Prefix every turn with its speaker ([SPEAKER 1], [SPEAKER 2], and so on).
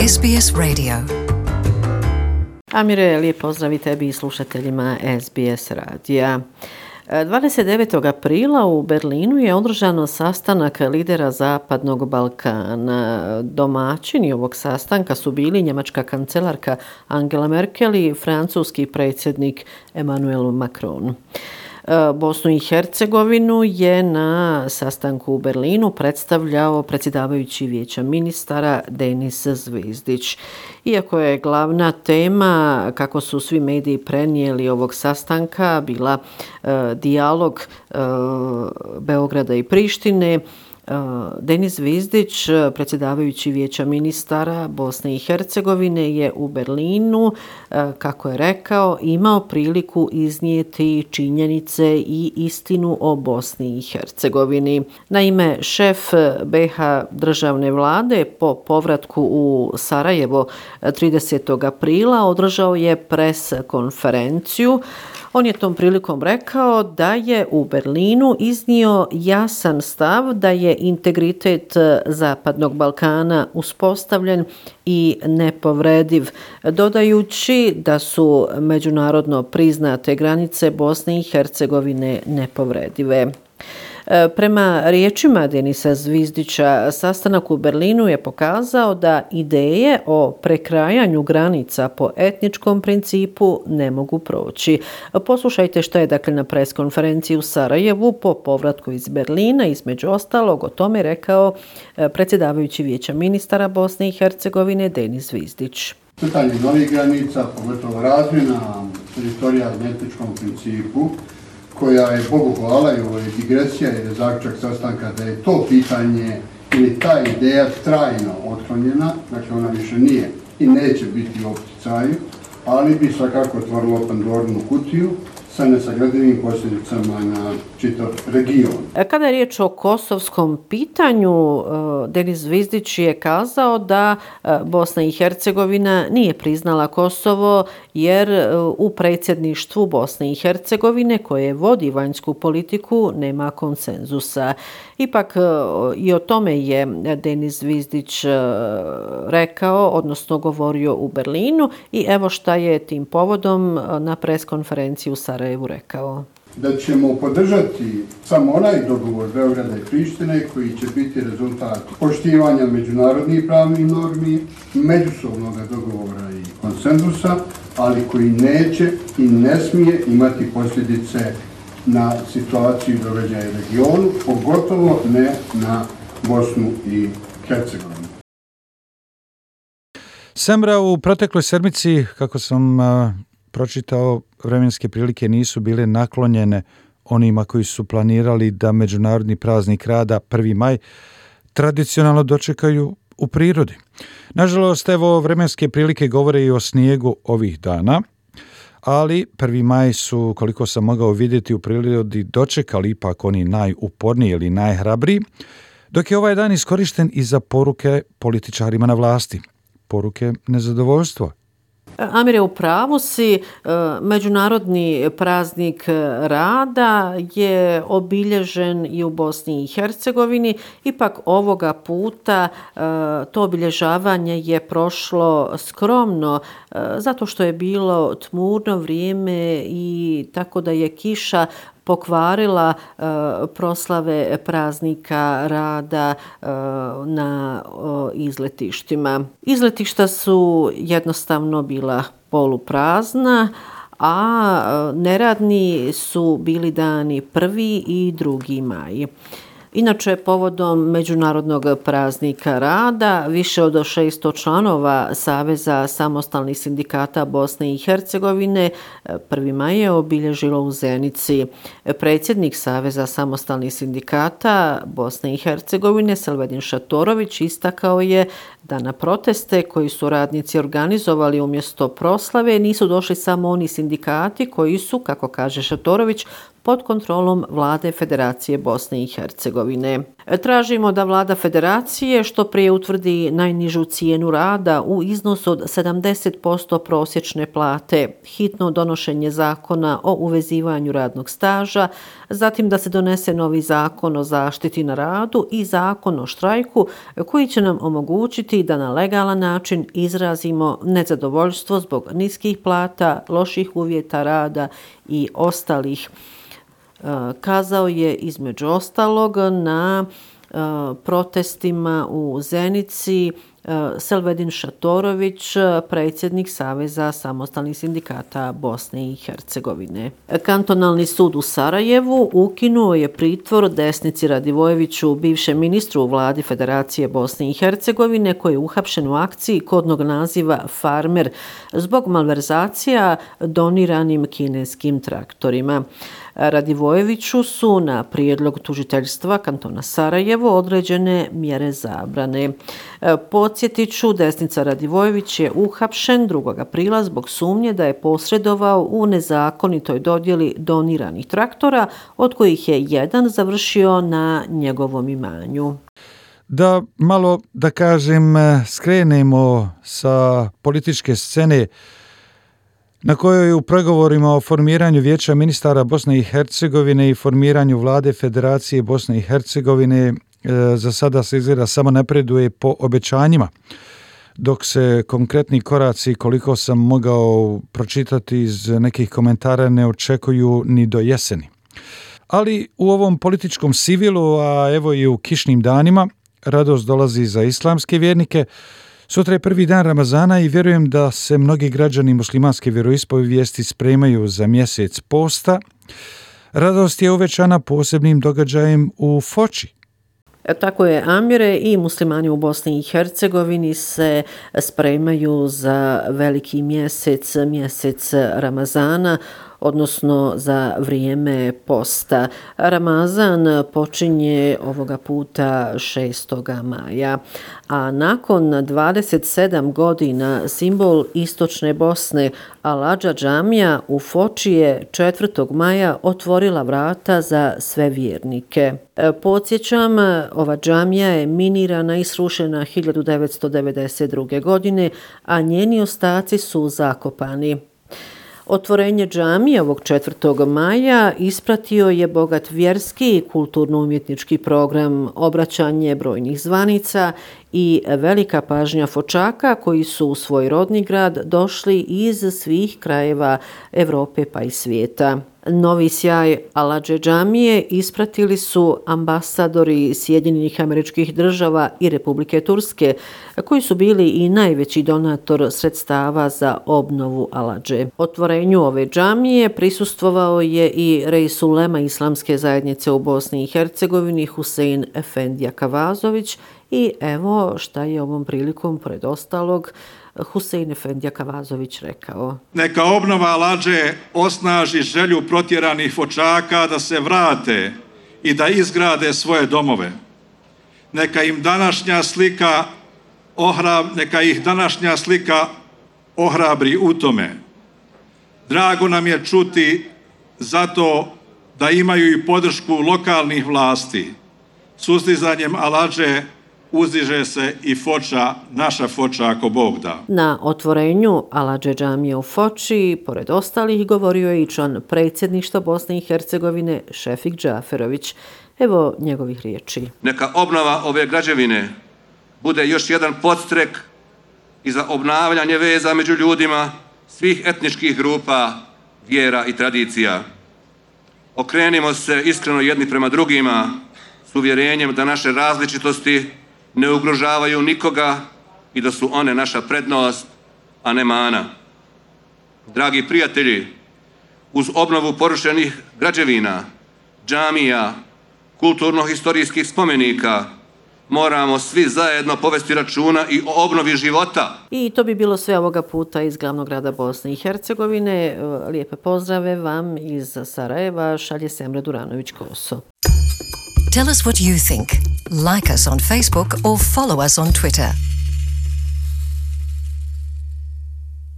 [SPEAKER 1] SBS Radio.
[SPEAKER 2] Amire, lijep pozdrav i tebi i slušateljima SBS radija. 29. aprila u Berlinu je održano sastanak lidera Zapadnog Balkana. Domaćini ovog sastanka su bili njemačka kancelarka Angela Merkel i francuski predsjednik Emmanuel Macron. Bosnu i Hercegovinu je na sastanku u Berlinu predstavljao predsjedavajući Vijeća ministara Denis Zvizdić. Iako je glavna tema, kako su svi mediji prenijeli ovog sastanka, bila dijalog Beograda i Prištine, Denis Zvizdić, predsjedavajući Vijeća ministara Bosne i Hercegovine, je u Berlinu, kako je rekao, imao priliku iznijeti činjenice i istinu o Bosni i Hercegovini. Naime, šef BiH državne vlade po povratku u Sarajevo 30. aprila održao je pres konferenciju. On je tom prilikom rekao da je u Berlinu iznio jasan stav da je integritet Zapadnog Balkana uspostavljen i nepovrediv, dodajući da su međunarodno priznate granice Bosne i Hercegovine nepovredive. Prema riječima Denisa Zvizdića, sastanak u Berlinu je pokazao da ideje o prekrajanju granica po etničkom principu ne mogu proći. Poslušajte što je na pres konferenciji u Sarajevu po povratku iz Berlina između ostalog o tome rekao predsjedavajući Vijeća ministara Bosne i Hercegovine Denis Zvizdić.
[SPEAKER 3] Crtanje novih granica, pogotovo razmjena teritorija na etničkom principu, koja je, Bogu hvala, i ovo je digresija jer je zaključak sastanka da je to pitanje ili ta ideja trajno otklonjena, dakle ona više nije i neće biti u opticaju, ali bi svakako otvorilo Pandorinu kutiju sa nesagradivim posljedicama na čitav region.
[SPEAKER 2] Kada je riječ o kosovskom pitanju, Denis Zvizdić je kazao da Bosna i Hercegovina nije priznala Kosovo jer u predsjedništvu Bosne i Hercegovine koje vodi vanjsku politiku nema konsenzusa. Ipak i o tome je Denis Zvizdić rekao, odnosno govorio u Berlinu i evo šta je tim povodom na pres konferenciji u Sarajevu rekao.
[SPEAKER 3] Da ćemo podržati samo onaj dogovor Beograda i Prištine koji će biti rezultat poštivanja međunarodnih pravnih normi, međusobnog dogovora i konsenzusa, ali koji neće i ne smije imati posljedice na situaciju i događaje u regionu, pogotovo ne na Bosnu i Hercegovinu.
[SPEAKER 4] Semra, u protekloj sedmici, kako sam pročitao, vremenske prilike nisu bile naklonjene onima koji su planirali da međunarodni praznik rada 1. maj tradicionalno dočekaju u prirodi. Nažalost, evo, vremenske prilike govore i o snijegu ovih dana, ali 1. maj su, koliko sam mogao vidjeti, u prirodi dočekali ipak oni najuporniji ili najhrabriji, dok je ovaj dan iskorišten i za poruke političarima na vlasti, poruke nezadovoljstva.
[SPEAKER 2] Amire, u pravu si, međunarodni praznik rada je obilježen i u Bosni i Hercegovini, ipak ovoga puta to obilježavanje je prošlo skromno, zato što je bilo tmurno vrijeme i tako da je kiša pokvarila proslave praznika rada na izletištima. Izletišta su jednostavno bila poluprazna, a neradni su bili dani 1. i 2. maj. Inače, povodom Međunarodnog praznika rada, više od 600 članova Saveza samostalnih sindikata Bosne i Hercegovine 1. maj je obilježilo u Zenici. Predsjednik Saveza samostalnih sindikata Bosne i Hercegovine Selvedin Šatorović istakao je da na proteste koji su radnici organizovali umjesto proslave nisu došli samo oni sindikati koji su, kako kaže Šatorović, pod kontrolom vlade Federacije Bosne i Hercegovine. Tražimo da vlada federacije što prije utvrdi najnižu cijenu rada u iznosu od 70% prosječne plate, hitno donošenje zakona o uvezivanju radnog staža, zatim da se donese novi zakon o zaštiti na radu i zakon o štrajku koji će nam omogućiti da na legalan način izrazimo nezadovoljstvo zbog niskih plata, loših uvjeta rada i ostalih. Kazao je između ostalog na protestima u Zenici Selvedin Šatorović, predsjednik Saveza samostalnih sindikata Bosne i Hercegovine. Kantonalni sud u Sarajevu ukinuo je pritvor Desnici Radivojeviću, bivšem ministru u vladi Federacije Bosne i Hercegovine, koji je uhapšen u akciji kodnog naziva Farmer zbog malverzacija doniranim kineskim traktorima. Radivojeviću su na prijedlog tužiteljstva kantona Sarajevo određene mjere zabrane. Podsjetit ću, Desnica Radivojević je uhapšen 2. aprila zbog sumnje da je posredovao u nezakonitoj dodjeli doniranih traktora, od kojih je jedan završio na njegovom imanju.
[SPEAKER 4] Da malo, da kažem, skrenemo sa političke scene na kojoj u pregovorima o formiranju Vijeća ministara Bosne i Hercegovine i formiranju vlade Federacije Bosne i Hercegovine za sada se izgleda samo napreduje po obećanjima, dok se konkretni koraci, koliko sam mogao pročitati iz nekih komentara, ne očekuju ni do jeseni. Ali u ovom političkom sivilu, a evo i u kišnim danima, radost dolazi za islamske vjernike. Sutra je prvi dan Ramazana i vjerujem da se mnogi građani muslimanske vjeroispovijesti spremaju za mjesec posta. Radost je uvećana posebnim događajem u Foči.
[SPEAKER 2] Tako je, Amire, i muslimani u Bosni i Hercegovini se spremaju za veliki mjesec Ramazana, odnosno za vrijeme posta. Ramazan počinje ovoga puta 6. maja, a nakon 27 godina simbol istočne Bosne, Al-Adža džamija u Foči je 4. maja otvorila vrata za sve vjernike. Podsjećam, ova džamija je minirana i srušena 1992. godine, a njeni ostaci su zakopani. Otvorenje džamije ovog 4. maja ispratio je bogat vjerski i kulturno-umjetnički program, obraćanje brojnih zvanica i velika pažnja Fočaka koji su u svoj rodni grad došli iz svih krajeva Europe pa i svijeta. Novi sjaj Al-Adže džamije ispratili su ambasadori Sjedinjenih Američkih Država i Republike Turske, koji su bili i najveći donator sredstava za obnovu Al-Adže. Otvorenju ove džamije prisustvovao je i rais ulema Islamske zajednice u Bosni i Hercegovini Husein Efendija Kavazović i evo šta je ovom prilikom, pored ostalog, Husein Efendija Kavazović rekao.
[SPEAKER 1] Neka obnova Al-Adže osnaži želju protjeranih Fočaka da se vrate i da izgrade svoje domove. Neka ih današnja slika ohrabri u tome. Drago nam je čuti zato da imaju i podršku lokalnih vlasti. Sustizanjem Al-Adže uzdiže se i Foča, naša Foča ako Bog da.
[SPEAKER 2] Na otvorenju Al-Adže džamije u Foči, pored ostalih, govorio je i član predsjedništva Bosne i Hercegovine Šefik Džaferović. Evo njegovih riječi.
[SPEAKER 5] Neka obnova ove građevine bude još jedan podstrek i za obnavljanje veza među ljudima svih etničkih grupa, vjera i tradicija. Okrenimo se iskreno jedni prema drugima s uvjerenjem da naše različitosti ne ugrožavaju nikoga i da su one naša prednost, a ne mana. Dragi prijatelji, uz obnovu porušenih građevina, džamija, kulturno-historijskih spomenika, moramo svi zajedno povesti računa i o obnovi života.
[SPEAKER 2] I to bi bilo sve ovoga puta iz glavnog grada Bosne i Hercegovine. Lijepe pozdrave vam iz Sarajeva, šalje Semra Duranović-Koso.
[SPEAKER 6] Tell us what you think. Like us on Facebook or follow us on Twitter.